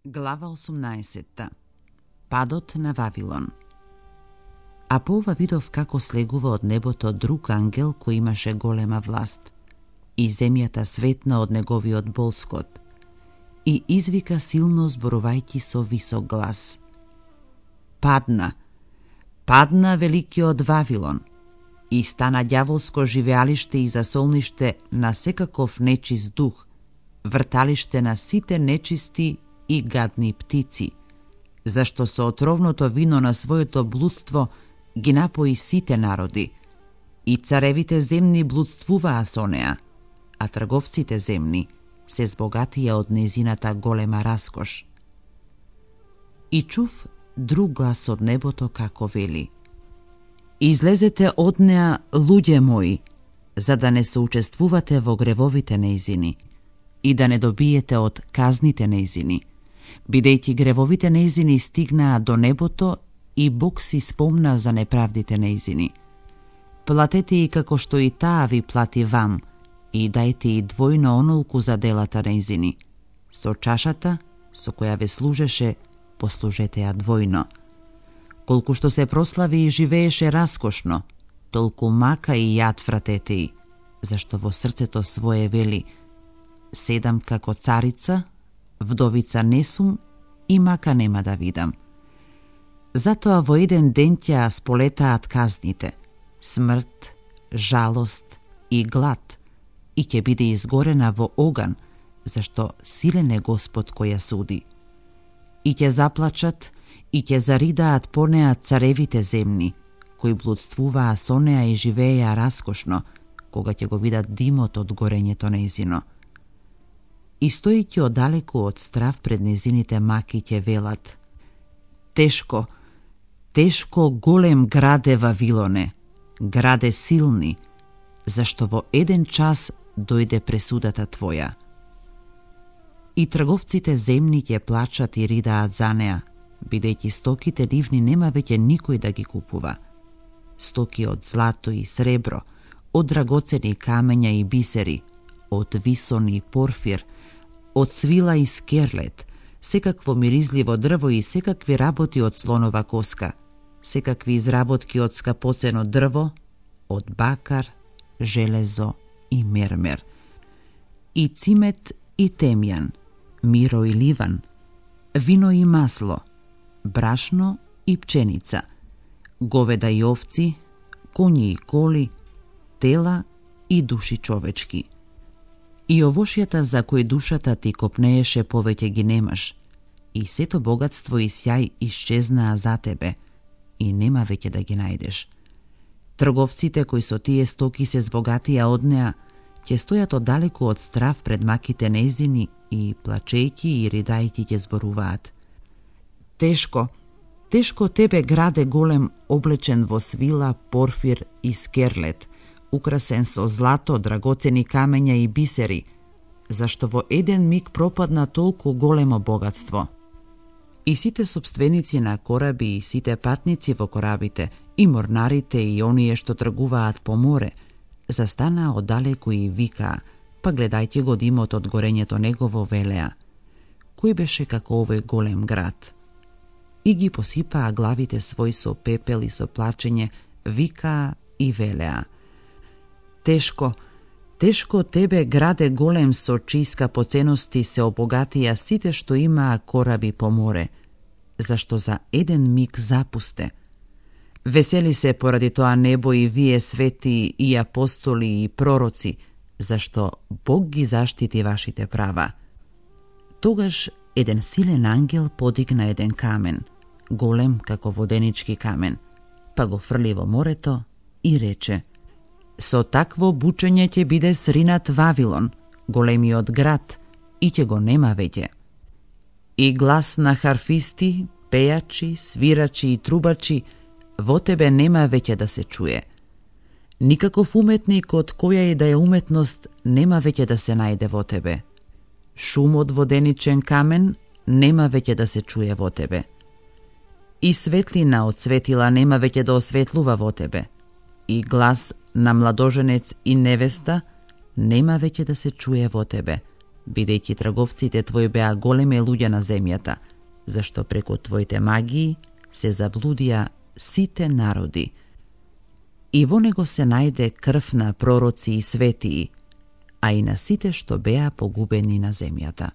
Глава 18. Падот на Вавилон. А по ова видов како слегува од небото друг ангел кој имаше голема власт, и земјата светна од неговиот болскот, и извика силно зборувајќи со висок глас: Падна, падна великиот Вавилон, и стана ѓаволско живеалиште и засолниште на секаков нечист дух, врталиште на сите нечисти и гадни птици, зашто со отровното вино на своето блудство ги напои сите народи, и царевите земни блудствуваа со неа, а трговците земни се збогатија од незината голема раскош. И чув друг глас од небото како вели: Излезете од неа, луѓе мои, за да не соучествувате во гревовите нејзини и да не добиете од казните нејзини, бидејќи гревовите нејзини стигнаа до небото и Бог си спомна за неправдите нејзини. Платете и како што и таа ви плати вам, и дајте и двојно онолку за делата нејзини. Со чашата, со која ве служеше, послужете ја двојно. Колку што се прослави и живееше раскошно, толку мака и јад вратете и, зашто во срцето свое вели: седам како царица, вдовица не сум и мака нема да видам. Затоа во еден ден ќе сполетаат казните: смрт, жалост и глад, и ќе биде изгорена во оган, зашто силен е Господ кој ја суди. И ќе заплачат и ќе заридаат по неа царевите земни, кои блудствуваа со неа и живееја раскошно, кога ќе го видат димот од горењето нејзино. И стојќи одалеку од страв пред незините маки ќе велат: Тешко, тешко голем граде Вавилоне, граде силни, зашто во еден час дојде пресудата твоја. И трговците земни ќе плачат и ридаат за неа, бидејќи стоките нивни нема веќе никој да ги купува. Стоки од злато и сребро, од драгоцени камења и бисери, од висон и порфир, од свила и скерлет, секакво миризливо дрво и секакви работи од слонова коска, секакви изработки од скапоцено дрво, од бакар, железо и мермер, и цимет и темјан, миро и ливан, вино и масло, брашно и пченица, говеда и овци, коњи и коли, тела и души човечки. И овошјата за кои душата ти копнееше повеќе ги немаш, и сето богатство и сјај исчезнаа за тебе, и нема веќе да ги најдеш. Трговците кои со тие стоки се збогатија од неа, ќе стојат оддалеку од страв пред маките нејзини и плачејќи и ридајќи ќе зборуваат: Тешко, тешко тебе граде голем, облечен во свила, порфир и скерлет, украсен со злато, драгоцени камења и бисери, зашто во еден миг пропадна толку големо богатство. И сите собственици на кораби и сите патници во корабите, и морнарите и оние што тргуваат по море, застанаа оддалеку и викаа, па гледајќи го димот од горењето негово велеа: Кој беше како овој голем град? И ги посипаа главите свој со пепел и со плачење, викаа и велеа: Тешко, тешко тебе граде голем, со чии скапоценности се обогатија сите што имаа кораби по море, зашто за еден миг запусте. Весели се поради тоа небо и вие свети и апостоли и пророци, зашто Бог ги заштити вашите права. Тогаш еден силен ангел подигна еден камен, голем како воденички камен, па го фрли во морето и рече: Со такво бучење ќе биде сринат Вавилон, големиот град, и ќе го нема веќе. И глас на харфисти, пејачи, свирачи и трубачи во тебе нема веќе да се чуе. Никаков уметник од која и да е уметност нема веќе да се најде во тебе. Шум од воденичен камен нема веќе да се чуе во тебе. И светлина од светила нема веќе да осветлува во тебе. И глас на младоженец и невеста нема веќе да се чуе во тебе, бидејќи трговците твои беа големи луѓе на земјата, зашто преку твоите магии се заблудија сите народи. И во него се најде крв на пророци и светии, а и на сите што беа погубени на земјата.